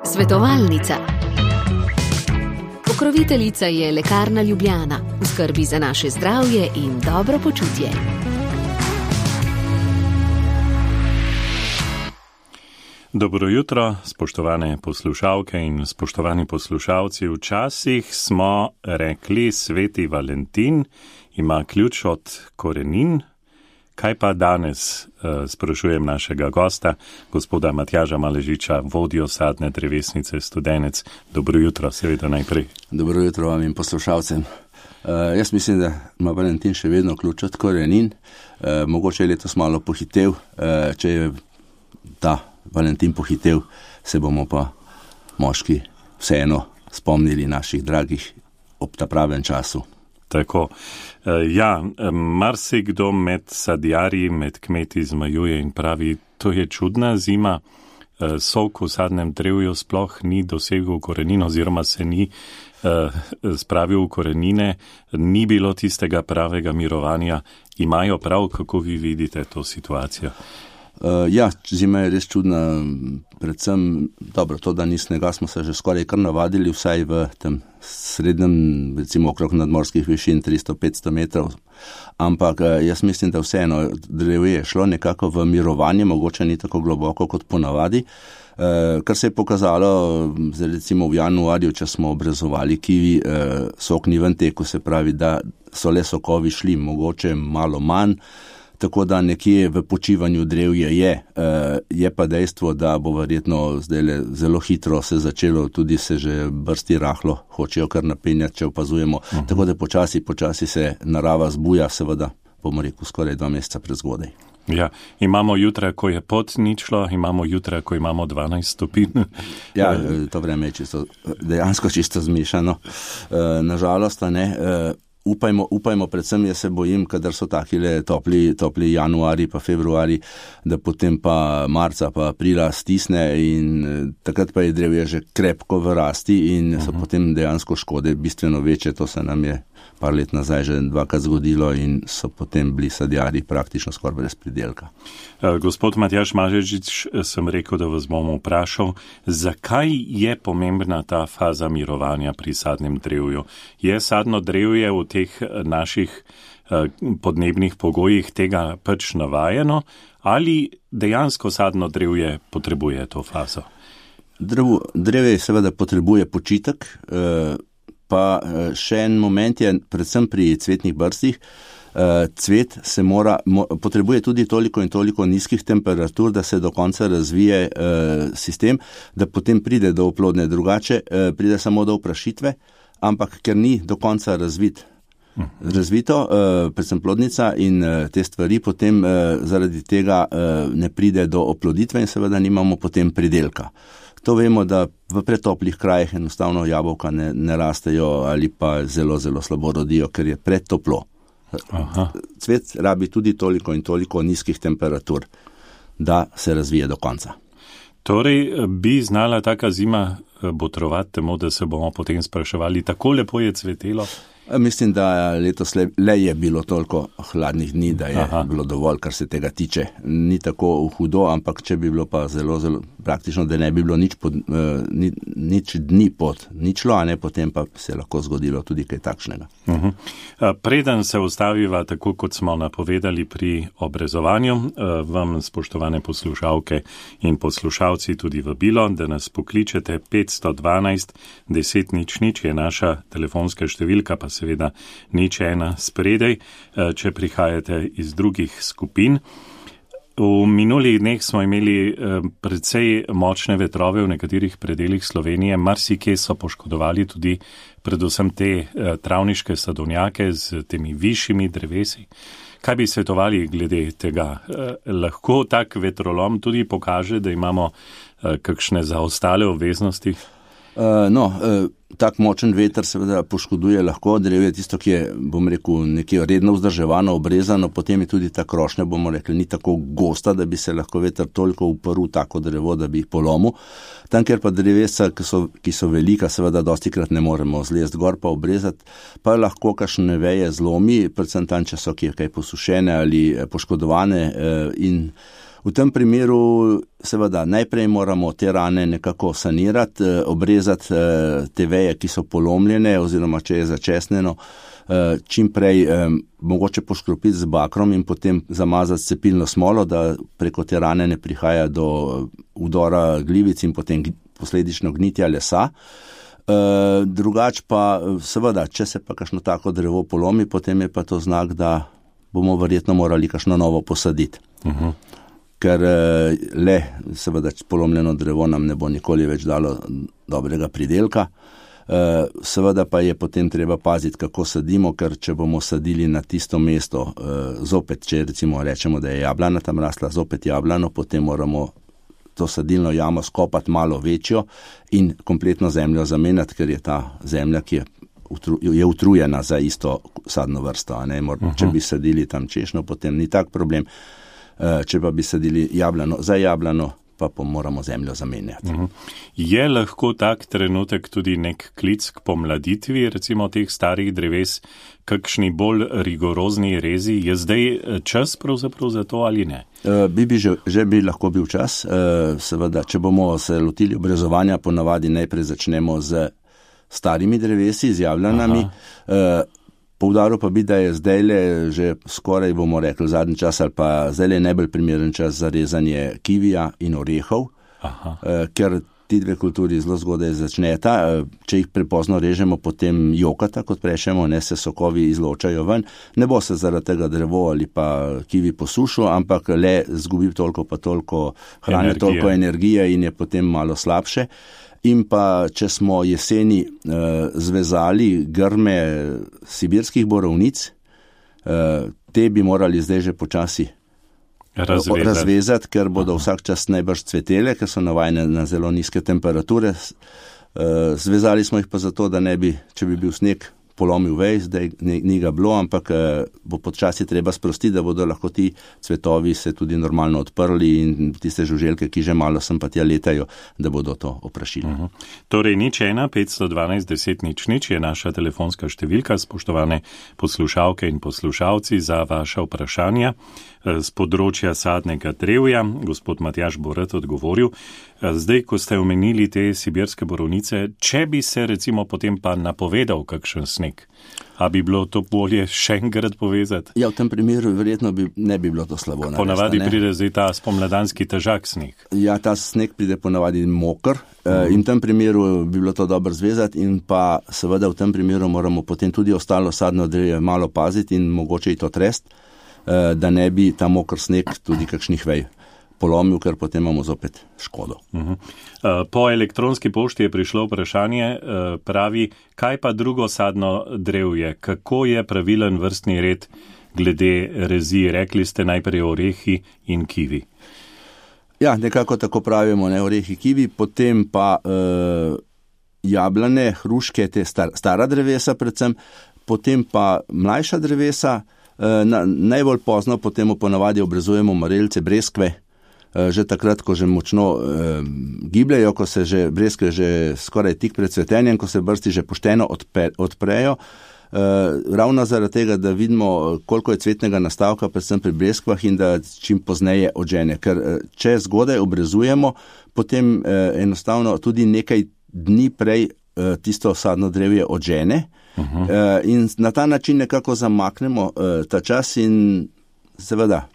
Svetovalnica. Pokroviteljica je Lekarna Ljubljana, v skrbi za naše zdravje in dobro počutje. Dobro jutro, spoštovane poslušalke in spoštovani poslušalci. Včasih smo rekli, Sveti Valentin ima ključ od korenin. Kaj pa danes, sprašujem našega gosta, gospoda Matjaža Maležiča, vodjo sadne drevesnice Studenec. Dobro jutro, seveda najprej. Dobro jutro vam in poslušalcem. Jaz mislim, da ima Valentin še vedno ključ od korenin. Mogoče je letos malo pohitev. Če je ta Valentin pohitev, se bomo pa moški vseeno spomnili naših dragih ob ta pravem času. Tako. Ja, marsikdo med sadjarji, med kmeti zmajuje in pravi, to je čudna zima, sok v sadnem drevju sploh ni dosegel korenin oziroma se ni spravil v korenine, ni bilo tistega pravega mirovanja. Imajo prav, kako vi vidite to situacijo? Ja, zima je res čudna, predvsem, dobro, to, da ni snega, smo se že skoraj kar navadili, vsaj v tem srednjem, recimo okrog nadmorskih višin 300-500 metrov, ampak jaz mislim, da vseeno drevje je šlo nekako v mirovanje, mogoče ni tako globoko kot ponavadi. Kar se je pokazalo, recimo v januarju, če smo obrezovali kivi, sok ni ven teku, se pravi, da so le sokovi šli, mogoče malo manj, tako da nekje v počivanju drevje je. Je pa dejstvo, da bo verjetno zdaj zelo hitro se začelo, tudi se že brsti rahlo hočejo kar napenjati, če opazujemo. Tako da počasi se narava zbuja, seveda, bomo rekel, skoraj 2 meseca prezgodaj. Ja, imamo jutra, ko je pod ničlo, imamo jutra, ko imamo 12 stopinj. Ja, to vreme je dejansko čisto zmešano. Nažalost, ne. Upajmo, predvsem jaz se bojim, kadar so takile topli januari pa februari, da potem pa marca pa aprila stisne in takrat pa je drevje že krepko v rasti in so potem dejansko škode bistveno večje. To se nam je par let nazaj že 2krat zgodilo in so potem bili sadjarji praktično skoraj brez pridelka. Gospod Matjaž Maležič, sem rekel, da vas bom vprašal, zakaj je pomembna ta faza mirovanja pri sadnem drevju? Je sadno drevje v teh naših podnebnih pogojih tega pač navajeno ali dejansko sadno drevje potrebuje to fazo? Drevje seveda potrebuje počitek, pa še en moment je predvsem pri cvetnih brstih. Cvet se potrebuje tudi toliko in toliko nizkih temperatur, da se do konca razvije sistem, da potem pride do oplodne. Drugače pride samo do oprašitve, ampak ker ni do konca razvito, predvsem plodnica in te stvari, potem zaradi tega ne pride do oploditve in seveda nimamo potem pridelka. To vemo, da v pretoplih krajih enostavno jabolka ne rastejo ali pa zelo, zelo slabo rodijo, ker je pretoplo. Aha. Cvet rabi tudi toliko in toliko nizkih temperatur, da se razvije do konca. Torej, bi znala taka zima botrovati temu, da se bomo potem spraševali, tako lepo je cvetelo? Mislim, da letos le je bilo toliko hladnih dni, da je bilo dovolj, kar se tega tiče. Ni tako hudo, ampak če bi bilo pa zelo, zelo praktično, da ne bi bilo nič dni pod ničlo, a ne potem pa se lahko zgodilo tudi kaj takšnega. Preden se ustaviva, tako kot smo napovedali pri obrezovanju, vam, spoštovane poslušalke in poslušalci, tudi vabilo, da nas pokličete 512 10 00 je naša telefonska številka, pa seveda 01 spredaj, če prihajate iz drugih skupin. V minulih dneh smo imeli precej močne vetrove v nekaterih predelih Slovenije, marsikje so poškodovali tudi predvsem te travniške sadovnjake z temi višjimi drevesi. Kaj bi svetovali glede tega? Lahko tak vetrolom tudi pokaže, da imamo kakšne zaostale obveznosti? Tak močen veter seveda poškoduje lahko drevje, tisto, ki je, bom rekel, nekje redno vzdrževano, obrezano, potem je tudi ta krošnja, bomo rekli, ni tako gosta, da bi se lahko veter toliko uprl tako drevo, da bi jih polomil. Tam, ker pa drevesa, ki so velika, seveda dostikrat ne moremo zlezti gor pa obrezati, pa lahko kakšne veje zlomi, predvsem tam, če so kaj posušene ali poškodovane in V tem primeru seveda najprej moramo te rane nekako sanirati, obrezati te veje, ki so polomljene oziroma če je začesneno, čim prej mogoče poškropiti z bakrom in potem zamazati s cepilno smolo, da preko te rane ne prihaja do vdora glivic in potem posledično gnitja lesa. Drugač pa seveda, če se pa kakšno tako drevo polomi, potem je pa to znak, da bomo verjetno morali kakšno novo posaditi. Ker le seveda polomljeno drevo nam ne bo nikoli več dalo dobrega pridelka. Seveda pa je potem treba paziti, kako sadimo, ker če bomo sadili na tisto mesto, zopet, če recimo rečemo, da je jablana tam rasla, zopet jablano, potem moramo to sadilno jamo skopati malo večjo in kompletno zemljo zamenjati, ker je ta zemlja, ki je utrujena za isto sadno vrsto. Če bi sadili tam češnjo, potem ni tak problem. Če pa bi sadili jablano za jablano, pa moramo zemljo zamenjati. Je lahko tak trenutek tudi nek klic k pomladitvi, recimo teh starih dreves, kakšni bolj rigorozni rezi? Je zdaj čas pravzaprav za to ali ne? Že bi lahko bil čas. Seveda, če bomo se lotili obrezovanja, ponavadi najprej začnemo z starimi drevesi, z javljanami. Poudaril pa bi, da je zdajle že skoraj, bomo rekli, zadnji čas ali pa zdajle najbolj primeren čas za rezanje kivija in orehov, ker ti dve kulturi zelo zgodaj začneta. Če jih prepozno režemo, potem jokata, kot rečemo, se sokovi izločajo ven. Ne bo se zaradi tega drevo ali pa kivi posušil, ampak le zgubi toliko pa toliko hrane, toliko energije in je potem malo slabše. In pa, če smo jeseni zvezali grme sibirskih borovnic, te bi morali zdaj že počasi razvezati, ker bodo vsak čas najbrž cvetele, ker so navajene na zelo nizke temperature. Zvezali smo jih pa zato, da ne bi, če bi bil sneg, polomil vej, zdaj ni ga bilo, ampak bo počasi treba sprostiti, da bodo lahko ti cvetovi se tudi normalno odprli in tiste žuželke, ki že malo sem pa tja letajo, da bodo to oprašili. Torej, 01 512 10 00 je naša telefonska številka, spoštovane poslušalke in poslušalci, za vaša vprašanja z področja sadnega drevja. Gospod Matjaž bo rad odgovoril. Zdaj, ko ste omenili te sibirske borovnice, če bi se recimo potem pa napovedal kakšen sneg, a bi bilo to bolje še enkrat povezati? Ja, v tem primeru verjetno ne bi bilo to slabo. Ponavadi pride zdaj ta spomladanski težak sneg. Ja, ta sneg pride ponavadi mokr in v tem primeru bi bilo to dobro zvezati in pa seveda v tem primeru moramo potem tudi ostalo sadno drevje malo paziti in mogoče i to trest, da ne bi ta mokr sneg tudi kakšnih vej polomil, ker potem imamo zopet škodo. Po elektronski pošti je prišlo vprašanje, pravi, kaj pa drugo sadno drevje, kako je pravilen vrstni red glede rezi? Rekli ste najprej orehi in kivi. Ja, nekako tako pravimo, orehi, kivi, potem pa jablane, hruške, te stara drevesa predvsem, potem pa mlajša drevesa, najbolj pozno potem ponavadi obrezujemo marelce, breskve, že takrat, ko že močno gibljajo, ko se že breskve že skoraj tik pred cvetenjem, ko se brsti že pošteno odprejo, ravno zaradi tega, da vidimo, koliko je cvetnega nastavka, predvsem pri breskvah in da čim pozneje odžene. Ker če zgodaj obrezujemo, potem enostavno tudi nekaj dni prej tisto sadno drevje odžene in na ta način nekako zamaknemo ta čas in seveda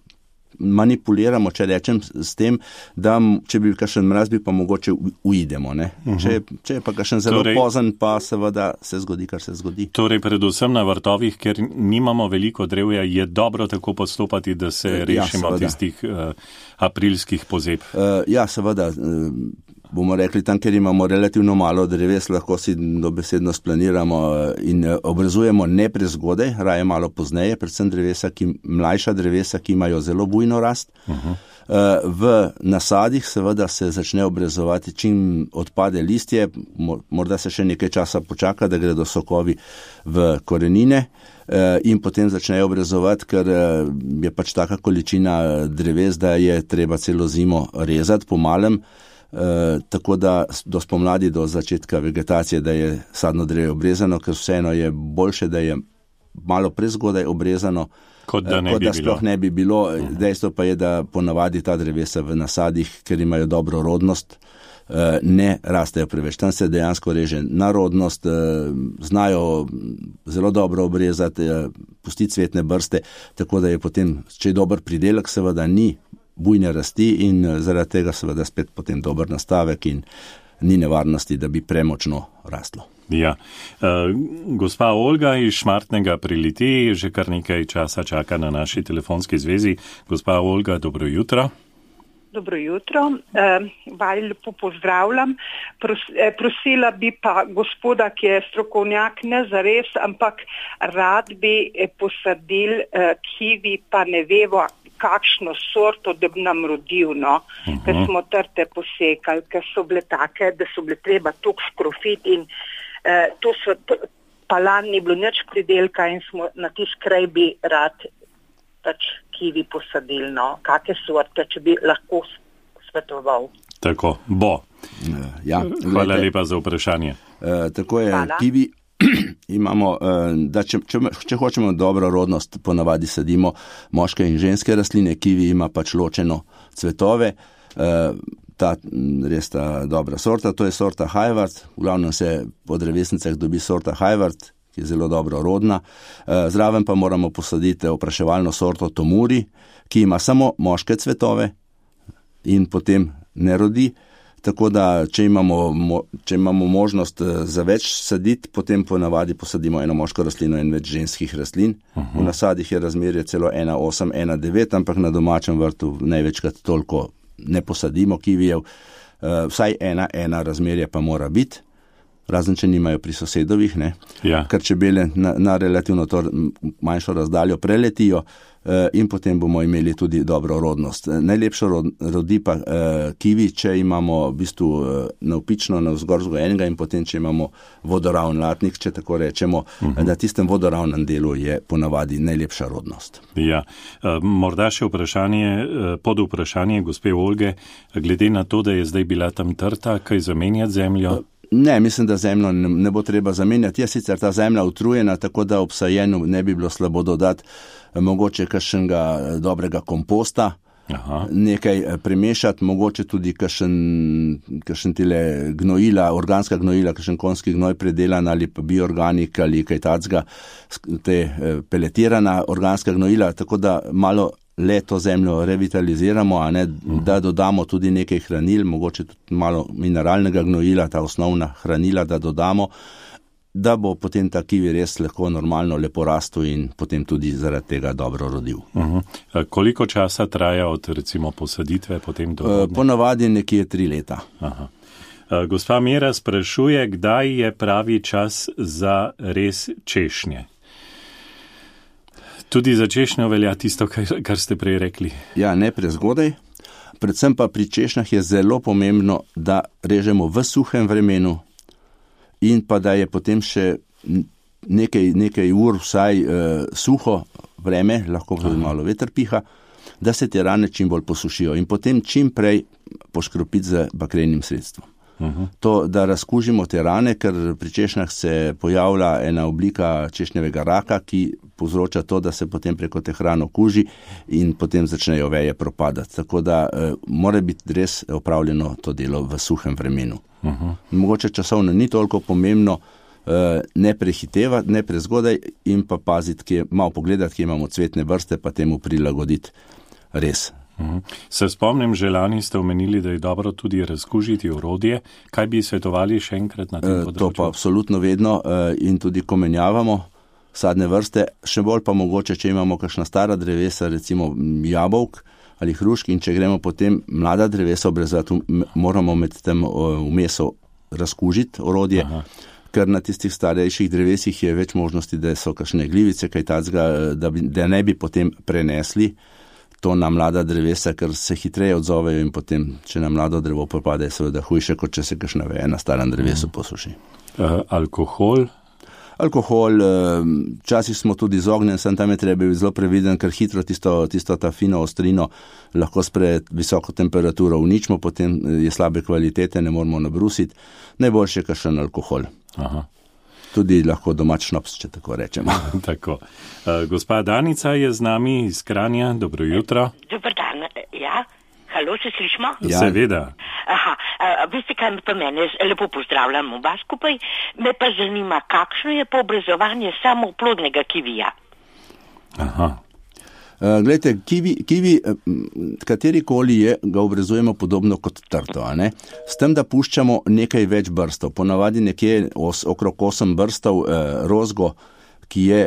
manipuliramo, če rečem, s tem, da če bi kakšen mraz, bi pa mogoče uidemo. Če je pa kakšen zelo pozen, pa seveda se zgodi, kar se zgodi. Torej, predvsem na vrtovih, ker nimamo veliko drevja, je dobro tako postopati, da se rešimo tistih aprilskih pozeb. Ja, seveda. Bomo rekli, tam, ker imamo relativno malo dreves, lahko si dobesedno splaniramo in obrezujemo ne prezgodaj, raje malo pozneje, predvsem mlajša drevesa, ki imajo zelo bujno rast. V nasadih seveda se začne obrezovati, čim odpade listje, morda se še nekaj časa počaka, da gredo sokovi v korenine in potem začnejo obrezovati, ker je pač taka količina dreves, da je treba celo zimo rezati po malem, tako da do spomladi, do začetka vegetacije, da je sadno drevje obrezano, ker vseeno je boljše, da je malo prezgodaj obrezano, kot da sploh ne bi bilo. Dejstvo pa je, da ponavadi ta drevesa v nasadih, ker imajo dobro rodnost, ne rastejo preveč. Tam se dejansko reže na rodnost, znajo zelo dobro obrezati, pustiti cvetne brste, tako da je potem, če je dober pridelek, seveda ni bujne rasti in zaradi tega seveda spet potem dober nastavek in ni nevarnosti, da bi premočno rastlo. Ja. Gospa Olga iz Šmartnega pri Litiji že kar nekaj časa čaka na naši telefonski zvezi. Gospa Olga, dobro jutro. Dobro jutro, vaj lepo pozdravljam. Prosila bi pa gospoda, ki je strokovnjak, ne zares, ampak rad bi posadil kivi, pa ne vevo, kakšno sorto, da bi nam rodil, no, ker smo trte posekali, ker so bile take, da so bile treba tok škrofiti in to so, pa lani ni bilo nič pridelka in smo na tisti kraj bi rad pač kivi posadili, no, kakšne sorte, če bi lahko svetoval. Tako, bo. Ja, hvala lepa za vprašanje. Tako je, hvala. Kivi imamo, da če hočemo dobro rodnost, ponavadi sadimo moške in ženske rastline, kivi ima pač ločeno cvetove, res ta dobra sorta, to je sorta Hajvard, v glavnem se po drevesnicah dobi sorta Hajvard, ki je zelo dobro rodna. Zraven pa moramo posaditi opraševalno sorto Tomuri, ki ima samo moške cvetove in potem ne rodi. Tako da, če imamo možnost za več saditi, potem ponavadi posadimo eno moško rastlino in več ženskih rastlin. V nasadih je razmerje celo 1,8, 1,9, ampak na domačem vrtu največkrat toliko ne posadimo kivijev. Vsaj 1,1 razmerje pa mora biti. Razen, če nimajo pri sosedovih, ne? Ja. Ker čebele na relativno to manjšo razdaljo preletijo in potem bomo imeli tudi dobro rodnost. Najlepšo rodi pa kivi, če imamo v bistvu navpično navzgor vzgojenega in potem, če imamo vodoravn latnik, če tako rečemo, na tistem vodoravnem delu je ponavadi najlepša rodnost. Ja. Morda še pod vprašanje gospe Olge, glede na to, da je zdaj bila tam trta, kaj zamenjati zemljo? Ne, mislim, da zemljo ne bo treba zamenjati. Je sicer ta zemlja utrujena, tako da ob sajenju ne bi bilo slabo dodati mogoče kakšnega dobrega komposta, nekaj premešati, mogoče tudi kakšen tile gnojila, organska gnojila, kakšen konjski gnoj predelan ali pa bioorganik ali kaj tacga, te peletirana organska gnojila, tako da malo leto zemljo revitaliziramo, a ne, da dodamo tudi nekaj hranil, mogoče tudi malo mineralnega gnojila, ta osnovna hranila, da dodamo, da bo potem ta kivi res lahko normalno lepo rastel in potem tudi zaradi tega dobro rodil. Koliko časa traja od recimo posaditve potem do rodne? Ponavadi nekje 3 leta. Gospa Mira sprašuje, kdaj je pravi čas za rez češnje? Tudi za češnjo velja tisto, kar ste prej rekli. Ja, ne prezgodaj. Predvsem pa pri češnjah je zelo pomembno, da režemo v suhem vremenu in pa da je potem še nekaj ur vsaj suho vreme, lahko tudi malo veter piha, da se te rane čim bolj posušijo in potem čim prej poškropiti z bakrenim sredstvom. To, da razkužimo te rane, ker pri češnjah se pojavlja ena oblika češnjevega raka, ki povzroča to, da se potem preko teh ran okuži in potem začnejo veje propadati. Tako da mora biti res opravljeno to delo v suhem vremenu. Mogoče časovno ni toliko pomembno, ne prehitevati, ne prezgodaj in pa paziti, malo pogledati, kje imamo cvetne vrste, pa temu prilagoditi res. Se spomnim, že lani ste omenili, da je dobro tudi razkužiti orodje. Kaj bi svetovali še enkrat na tem področju? To pa absolutno vedno in tudi ko menjavamo sadne vrste, še bolj pa mogoče, če imamo kakšna stara drevesa, recimo jabolk ali hrušk in če gremo potem mlada drevesa obrezati, moramo med tem vmeso razkužiti orodje, ker na tistih starejših drevesih je več možnosti, da so kakšne glivice, kaj tacga, da ne bi potem prenesli to na mlada drevesa, ker se hitreje odzovejo in potem, če na mlado drevo propade, je seveda hujše, kot če se kakšna veja na starem drevesu posuši. Alkohol? Alkohol, včasih smo tudi z ognjem, sem tam je treba biti zelo previden, ker hitro tisto ta fino ostrino lahko s visoko temperaturo uničimo, potem je slabe kvalitete, ne moramo nabrusiti. Najboljše je kakšen alkohol. tudi lahko domač šnops, če tako rečemo. Tako. Gospa Danica je z nami iz Kranja. Dobro jutro. Dobar dan, ja. Halo, se slišimo? Ja. Seveda. Aha, veste, kaj pa mene, lepo pozdravljam oba skupaj, me pa zanima, kakšno je poobrezovanje samooplodnega kivija? Aha. Glejte, kivi, katerikoli je, ga obrezujemo podobno kot trto, a ne? S tem, da puščamo nekaj več brstov, ponavadi nekje okrog 8 brstov rozgo, ki je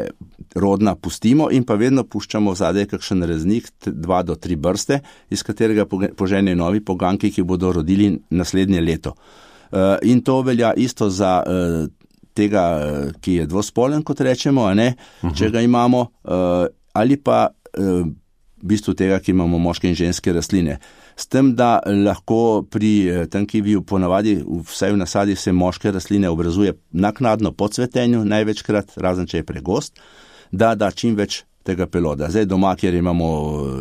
rodna, pustimo in pa vedno puščamo zadaj kakšen reznik, 2 do 3 brste, iz katerega poženejo novi poganki, ki bodo rodili naslednje leto. In to velja isto za tega, ki je dvospolen, kot rečemo, a ne, če ga imamo, ali pa v bistvu tega, ki imamo moške in ženske rastline. S tem, da lahko pri tem kiviju ponavadi, vsaj v nasadi, se moške rastline obrazuje naknadno po cvetenju, največkrat, razen če je pregost, da čim več tega peloda. Zdaj doma, kjer imamo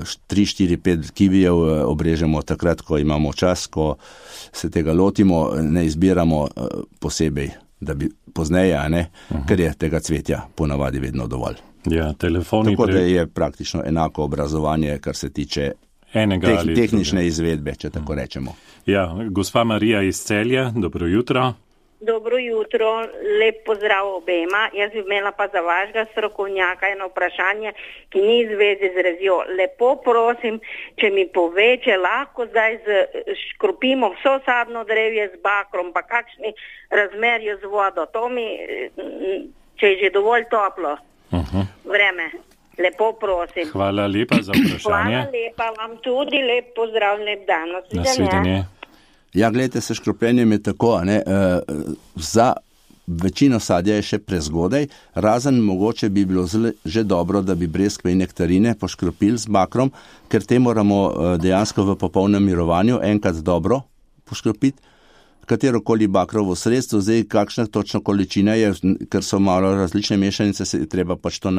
3, 4, 5 kivijev, obrežemo takrat, ko imamo čas, ko se tega lotimo, ne izbiramo posebej, da bi pozneje, a ne, ker je tega cvetja ponavadi vedno dovolj. Ja, telefoni. Tako da je praktično enako obrazovanje, kar se tiče tehnične izvedbe, če tako rečemo. Ja, gospa Marija iz Celja, dobro jutro. Dobro jutro, lep pozdrav obema. Jaz bi imela pa za vašega strokovnjaka eno vprašanje, ki ni v zvezi z rezjo. Lepo prosim, če mi pove, če lahko zdaj škropimo vso sadno drevje z bakrom, pa kakšni razmerje z vodo. To mi, če je že dovolj toplo vreme. Lepo prosim. Hvala lepa za vprašanje. Hvala lepa vam tudi, lep pozdrav, lep dan. Nasvidenje. Ja, gledajte, se škropljenjem je tako, ne, za večino sadja je še prezgodaj, razen mogoče bi bilo že dobro, da bi breskve in nektarine poškropili z bakrom, ker te moramo dejansko v popolnem mirovanju enkrat dobro poškropiti, katerokoli bakrovo sredstvo, zdaj kakšna točno količina je, ker so malo različne mešanice, se je treba pač to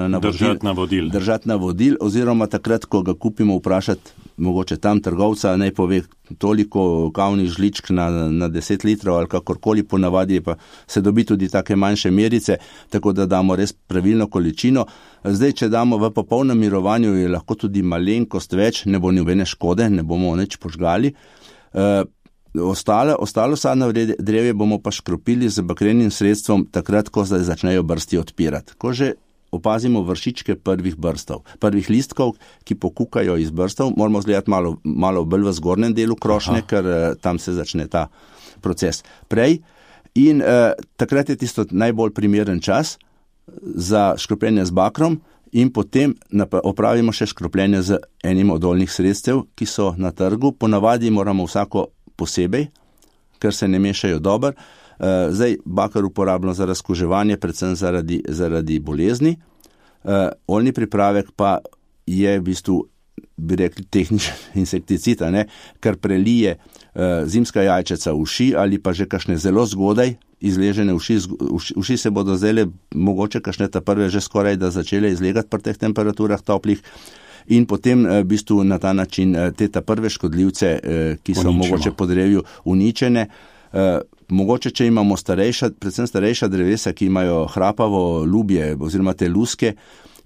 držati navodil, oziroma takrat, ko ga kupimo, vprašati mogoče tam trgovca, naj pove toliko kavnih žličk na 10 litrov ali kakorkoli, ponavadi pa se dobi tudi take manjše merice, tako da damo res pravilno količino. Zdaj, če damo v popolnem mirovanju, je lahko tudi malenkost več, ne bo nobene škode, ne bomo nič požgali. Ostalo sadno drevje bomo pa škropili z bakrenim sredstvom takrat, ko začnejo brsti odpirati. Ko že opazimo vršičke prvih brstov, prvih listkov, ki pokukajo iz brstov, moramo zgledati malo bolj v zgornjem delu krošnje, ker tam se začne ta proces prej. In takrat je tisto najbolj primeren čas za škropljenje z bakrom in potem opravimo še škropljenje z enim od oljnih sredstev, ki so na trgu. Ponavadi moramo vsako posebej, ker se ne mešajo dobro. Zdaj bakar uporabljamo za razkuževanje, predvsem zaradi bolezni. Oljni pripravek pa je v bistvu, bi rekli, tehnični insekticid, ker prelije zimska jajčeca uši ali pa že kakšne zelo zgodaj izležene uši. Uši se bodo zdaj mogoče kakšne ta prve že skoraj da začele izlegati pri teh temperaturah toplih. In potem v bistvu na ta način te prve škodljivce, ki so mogoče po drevju uničene. Mogoče, če imamo predvsem starejša drevesa, ki imajo hrapavo lubje oziroma te luske,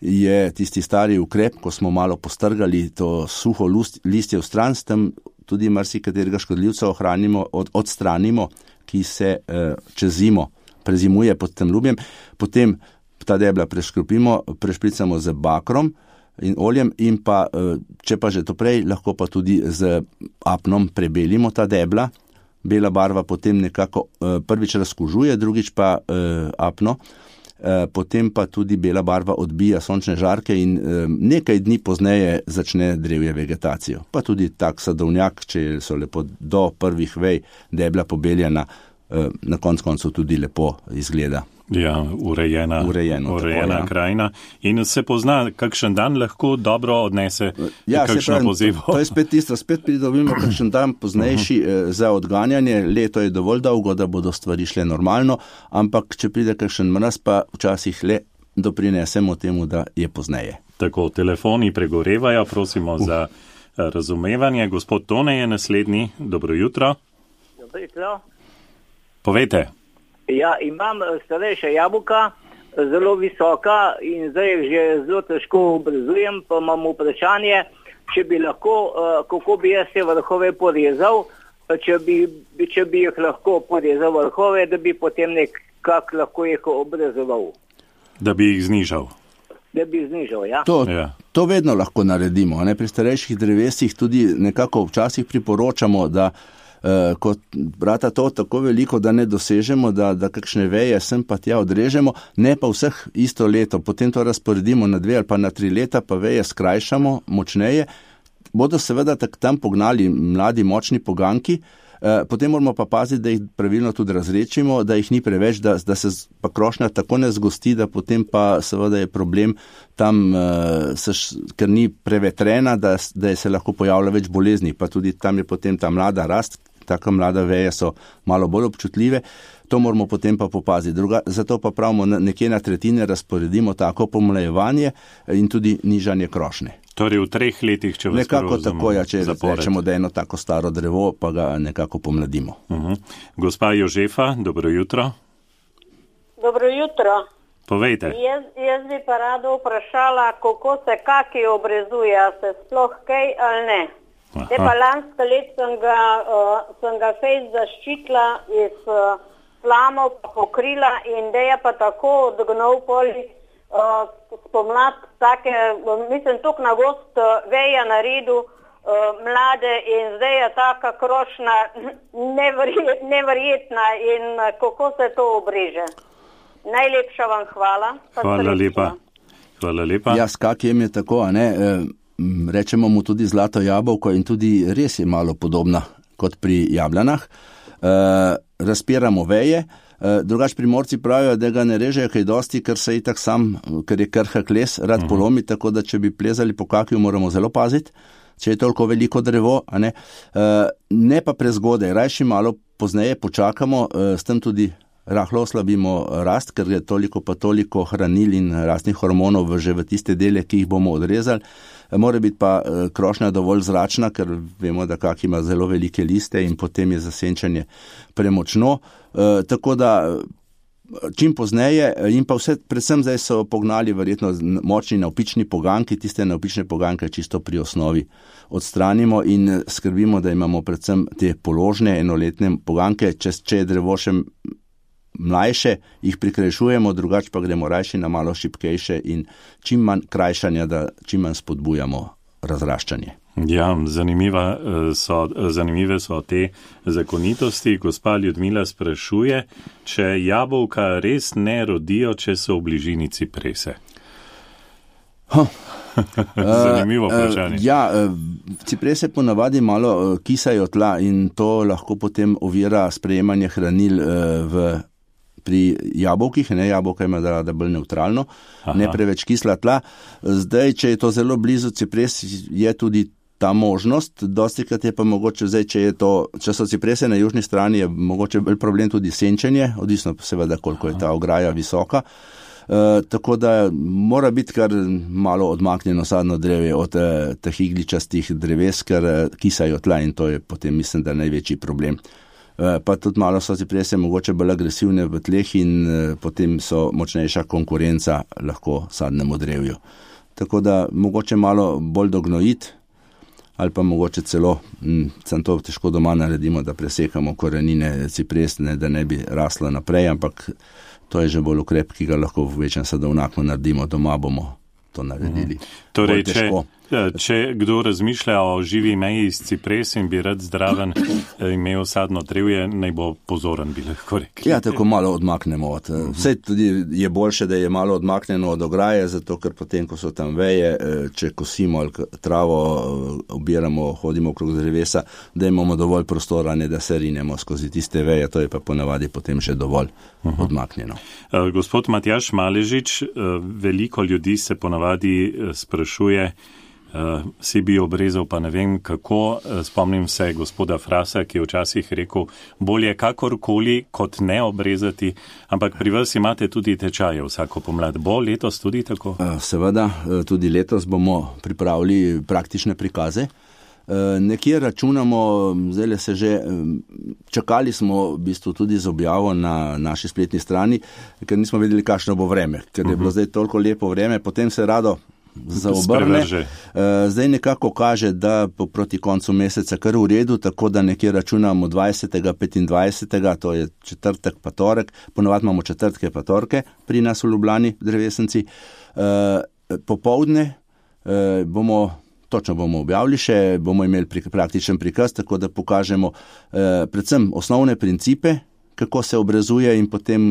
je tisti stari ukrep, ko smo malo postrgali to suho listje v stran, s tem tudi marsikaterega škodljivca odstranimo, ki se čez zimo prezimuje pod tem lubjem. Potem ta debla preškropimo, prešpricamo z bakrom in oljem in pa, če pa že to prej, lahko pa tudi z apnom prebelimo ta debla. Bela barva potem nekako prvič razkužuje, drugič pa apno, potem pa tudi bela barva odbija sončne žarke in nekaj dni pozneje začne drevje vegetacijo. Pa tudi tak sadovnjak, če so lepo do prvih vej debla pobeljena, na koncu tudi lepo izgleda. Ja, urejena krajina. In se pozna, kakšen dan lahko dobro odnese kakšno pozivo. To je spet tisto, spet pridobimo kakšen dan poznejši za odganjanje. Leto je dovolj dolgo, da bodo stvari šle normalno, ampak če pride kakšen mraz, pa včasih le doprinesemo temu, da je pozneje. Tako, telefoni pregorevajo, prosimo za razumevanje. Gospod Tone je naslednji. Dobro jutro. Dobro jutro. Povejte. Ja, imam starejša jabolka, zelo visoka in zdaj že zelo težko obrezujem, pa imam vprašanje, če bi lahko, kako bi jaz te vrhove porezal, če bi jih lahko porezal vrhove, da bi potem nekako lahko jih obrezoval. Da bi jih znižal. Da bi znižal, ja. To vedno lahko naredimo. Ne? Pri starejših drevesih tudi nekako včasih priporočamo, da kot brata to tako veliko, da ne dosežemo, da kakšne veje sem pa tja odrežemo, ne pa vseh isto leto. Potem to razporedimo na 2 ali pa na 3 leta, pa veje skrajšamo močneje. Bodo seveda tam pognali mladi močni poganki, potem moramo pa paziti, da jih pravilno tudi razrečimo, da jih ni preveč, da se pa krošnja tako ne zgosti, da potem pa seveda je problem tam, ker ni prevetrena, da se lahko pojavlja več bolezni, pa tudi tam je potem ta mlada rast, taka mlada veje so malo bolj občutljive, to moramo potem pa popaziti. Zato pa pravimo, nekje na tretjine razporedimo tako pomlajevanje in tudi nižanje krošnje. Torej v 3 letih, če vas nekako tako, ja, če rečemo, da je eno tako staro drevo, pa ga nekako pomladimo. Gospa Jožefa, dobro jutro. Dobro jutro. Povejte. Jaz bi pa rada vprašala, kako se kaki obrezuje, a se sploh kaj ali ne. Te pa lansko let sem ga fejs zaščitila iz slamov, pa pokrila in da je pa tako odgnov poli spomlad take, mislim, tuk na gost veja naredil mlade in zdaj je taka krošnja neverjetna in kako se to obreže. Najlepša vam hvala. Hvala lepa. Ja, s kakijem je tako, a ne? Rečemo mu tudi zlato jabolko in tudi res je malo podobna kot pri jabljanah. Razpiramo veje. Drugač Primorci pravijo, da ga ne režejo kaj dosti, ker se itak sam, ker je krhak les, rad polomi, tako da če bi plezali po kakiju, moramo zelo paziti, če je toliko veliko drevo, a ne. Ne pa prezgodaj, rajši malo pozneje počakamo, s tem tudi rahlo oslabimo rast, ker je toliko hranil in rastnih hormonov že v tiste dele, ki jih bomo odrezali. Mora biti pa krošnja dovolj zračna, ker vemo, da kak ima zelo velike liste in potem je zasenčanje premočno. Tako da čim pozneje in pa vse, predvsem zdaj so pognali verjetno močni navpični poganki, tiste navpične poganke čisto pri osnovi odstranimo in skrbimo, da imamo predvsem te položne enoletne poganke, če je drevo še mlajše, jih prikrajšujemo, drugače pa gremo rajši na malo šibkejše in čim manj krajšanja, da čim manj spodbujamo razraščanje. Ja, zanimive so te zakonitosti. Gospa Ljudmila sprašuje, če jabolka res ne rodijo, če so v bližini ciprese. Zanimivo vprašanje. Ciprese ponavadi malo kisajo tla in to lahko potem ovira sprejemanje hranil pri jabolkih, ne, jabolka ima da bolj neutralno, ne preveč kisla tla. Zdaj, če je to zelo blizu cipres, je tudi ta možnost, dostikrat je pa mogoče zdaj, če so ciprese na južni strani, je mogoče bolj problem tudi senčenje, odvisno seveda, koliko je ta ograja visoka. Tako da mora biti kar malo odmaknjeno sadno drevje od teh igličastih dreves, ker kisajo tla in to je potem, mislim, da največji problem. Pa tudi malo so ciprese mogoče bolj agresivne v tleh in potem so močnejša konkurenca lahko sadnemu drevju. Tako da mogoče malo bolj dognojiti ali pa mogoče celo, sem to težko doma naredimo, da presekamo korenine cipresne, da ne bi rasla naprej, ampak to je že bolj ukrep, ki ga lahko v večjem sadovnjaku naredimo, doma bomo to naredili. Torej, če kdo razmišlja o živi meji iz cipres in bi rad zdraven imel sadno drevje, naj bo pozoren, bi lahko rekli. Ja, tako malo odmaknemo od. Vse tudi je boljše, da je malo odmaknjeno od ograje, zato ker potem, ko so tam veje, če kosimo ali travo, obiramo, hodimo okrog drevesa, da imamo dovolj prostora, ne da se rinemo skozi tiste veje, to je pa ponavadi potem že dovolj odmaknjeno. Gospod Matjaž Maležič, veliko ljudi se ponavadi sprašuje, si bi obrezal, pa ne vem kako. Spomnim se gospoda Frasa, ki je včasih rekel, bolje kakorkoli kot ne obrezati, ampak pri vas imate tudi tečaje vsako pomlad. Bo letos tudi tako? Seveda, tudi letos bomo pripravili praktične prikaze. Nekje računamo, zdaj se že, čakali smo v bistvu tudi z objavo na naši spletni strani, ker nismo vedeli, kakšno bo vreme, ker je bilo zdaj toliko lepo vreme, potem se rado zaobrne. Zdaj nekako kaže, da proti koncu meseca kar v redu, tako da nekje računamo 20. 25. to je četrtek pa torek, ponovadi imamo četrtke pa torke pri nas v Ljubljani, v Drevesenci. Popoldne bomo objavili še, bomo imeli praktičen prikaz, tako da pokažemo predvsem osnovne principe, kako se obrezuje in potem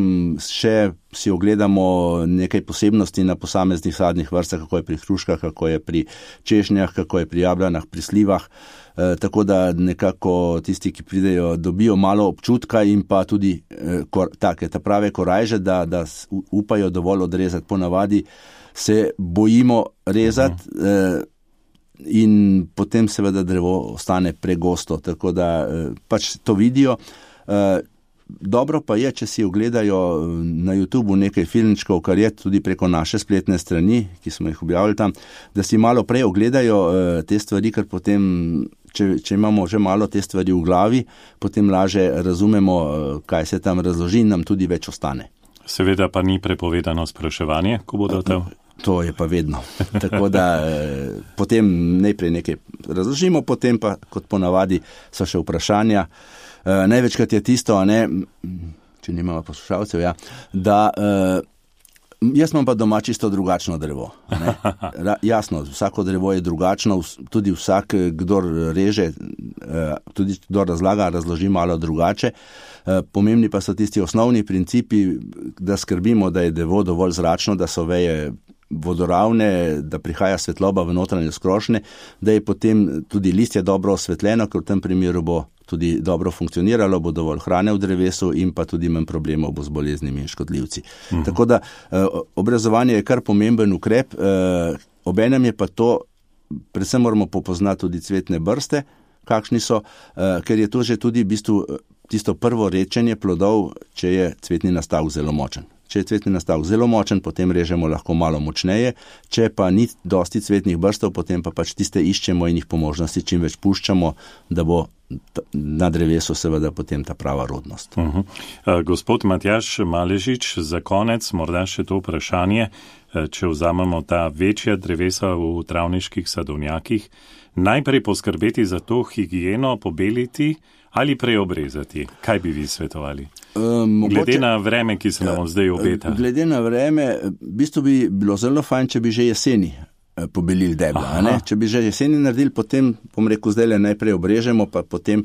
še si ogledamo nekaj posebnosti na posameznih sadnih vrstah, kako je pri hruškah, kako je pri češnjah, kako je pri jablanah, pri slivah, tako da nekako tisti, ki pridejo, dobijo malo občutka in pa tudi take prave korajže, da upajo dovolj odrezati. Ponavadi se bojimo rezati, in potem seveda drevo ostane pregosto, tako da pač to vidijo. Dobro pa je, če si ogledajo na YouTubeu nekaj filmčkov, kar je tudi preko naše spletne strani, ki smo jih objavili tam, da si malo prej ogledajo te stvari, ker potem, če imamo že malo te stvari v glavi, potem laže razumemo, kaj se tam razloži in nam tudi več ostane. Seveda pa ni prepovedano spraševanje, ko bodo tam? To je pa vedno. Tako da potem najprej nekaj razložimo, potem pa kot ponavadi so še vprašanja. Največkrat je tisto, če nimamo poslušalcev, da jaz imam pa doma čisto drugačno drevo. Jasno, vsako drevo je drugačno, tudi vsak, kdor reže, tudi kdor razloži malo drugače. Pomembni pa so tisti osnovni principi, da skrbimo, da je drevo dovolj zračno, da so veje vodoravne, da prihaja svetloba v notranje skrošnje, da je potem tudi listje dobro osvetljeno, ker v tem primeru bo tudi dobro funkcioniralo, bo dovolj hrane v drevesu in pa tudi manj problemov bo z boleznimi in škodljivci. Tako da obrezovanje je kar pomemben ukrep, obenem je pa to, predvsem moramo popoznati tudi cvetne brste, kakšni so, ker je to že tudi v bistvu tisto prvo rečenje plodov, če je cvetni nastavek zelo močen. Če je cvetni nastavek zelo močen, potem režemo lahko malo močneje, če pa ni dosti cvetnih brstov, potem pa pač tiste iščemo in jih po možnosti čim več puščamo, da bo na drevesu seveda potem ta prava rodnost. Gospod Matjaž Maležič, za konec morda še to vprašanje, če vzamemo ta večja drevesa v travniških sadovnjakih, najprej poskrbeti za to higieno, pobeliti ali preobrezati? Kaj bi vi svetovali? Glede na vreme, ki se nam zdaj obeta. Glede na vreme, v bistvu bi bilo zelo fajn, če bi že jeseni pobelili debla. Če bi že jeseni naredili, potem, zdaj najprej obrežemo, pa potem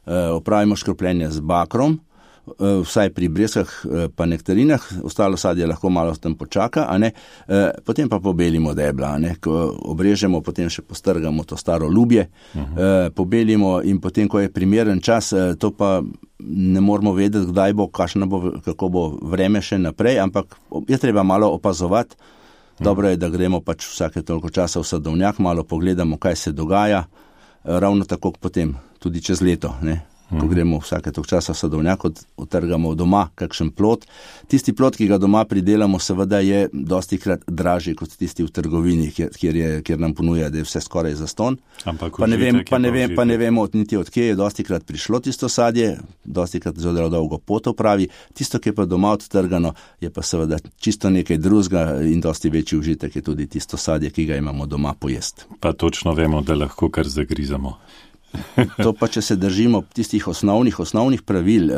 opravimo škropljenje z bakrom, vsaj pri breskah pa nektarinah, ostalo sadje lahko malo tam počaka, potem pa pobelimo debla, ko obrežemo, potem še postrgamo to staro lubje, pobelimo in potem, ko je primeren čas, to pa ne moramo vedeti, kdaj bo, kako bo vreme še naprej, ampak je treba malo opazovati. Dobro je, da gremo pač vsake toliko časa v sadovnjak, malo pogledamo, kaj se dogaja, ravno tako potem, tudi čez leto, ko gremo vsake toliko časa v sadovnjak, utrgamo doma kakšen plod. Tisti plod, ki ga doma pridelamo, seveda je dostikrat dražji kot tisti v trgovini, kjer nam ponuja, da je vse skoraj zastonj. Pa ne vemo niti od kje je dostikrat prišlo tisto sadje, dostikrat zelo dolgo pot opravi. Tisto, ki je pa doma odtrgano, je pa seveda čisto nekaj drugega in dosti večji užitek je tudi tisto sadje, ki ga imamo doma pojesti. Pa točno vemo, da lahko kar zagrizamo. To pa, če se držimo tistih osnovnih pravil,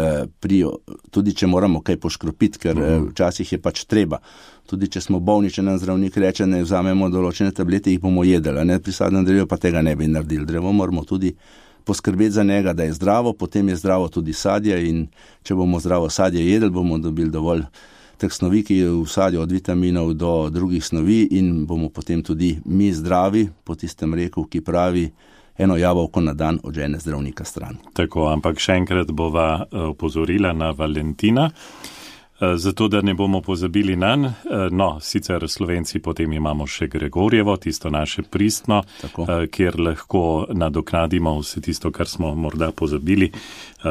tudi če moramo kaj poškropiti, ker včasih je pač treba. Tudi če smo bolni, če nam zdravnik reče, ne vzamemo določene tablete, jih bomo jedeli, pri sadnem drevu pa tega ne bi naredili. Drevo moramo tudi poskrbeti za njega, da je zdravo, potem je zdravo tudi sadje in če bomo zdravo sadje jedli, bomo dobili dovolj teh snovi, ki je v sadju, od vitaminov do drugih snovi in bomo potem tudi mi zdravi, po tistem reku, ki pravi, eno jabolko na dan od žene zdravnika stran. Tako, ampak še enkrat bova opozorila na Valentina. Zato, da ne bomo pozabili nanj, no, sicer Slovenci potem imamo še Gregorjevo, tisto naše pristno, kjer lahko nadoknadimo vse tisto, kar smo morda pozabili.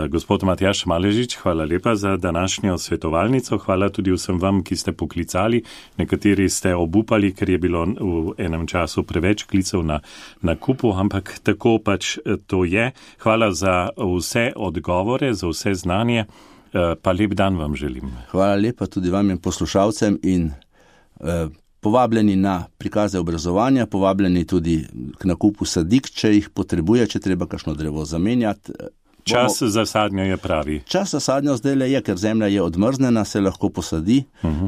Gospod Matjaž Maležič, hvala lepa za današnjo svetovalnico, hvala tudi vsem vam, ki ste poklicali. Nekateri ste obupali, ker je bilo v enem času preveč klicev na nakupu, ampak tako pač to je. Hvala za vse odgovore, za vse znanje. Pa lep dan vam želim. Hvala lepa tudi vam in poslušalcem in povabljeni na prikaze obrazovanja, povabljeni tudi k nakupu sadik, če jih potrebuje, če treba kakšno drevo zamenjati. Čas za sadnjo je pravi. Čas za sadnjo zdaj le je, ker zemlja je odmrznjena, se lahko posadi,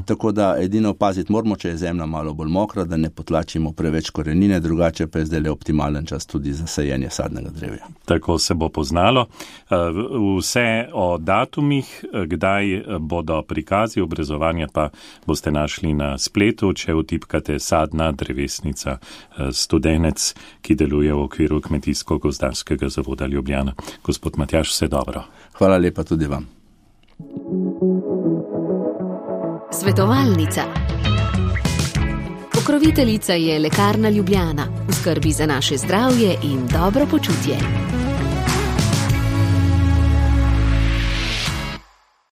tako da edino paziti moramo, če je zemlja malo bolj mokra, da ne potlačimo preveč korenine, drugače pa je zdaj le optimalen čas tudi za sajenje sadnega drevja. Tako se bo poznalo. Vse o datumih, kdaj bodo prikazi obrezovanja, pa boste našli na spletu, če vtipkate sadna drevesnica Studenec, ki deluje v okviru Kmetijsko-gozdarskega zavoda Ljubljana. Gospod Matjaž, vse dobro. Hvala lepa tudi vam. Svetovalnica. Pokroviteljica je Lekarna Ljubljana. V skrbi za naše zdravje in dobro počutje.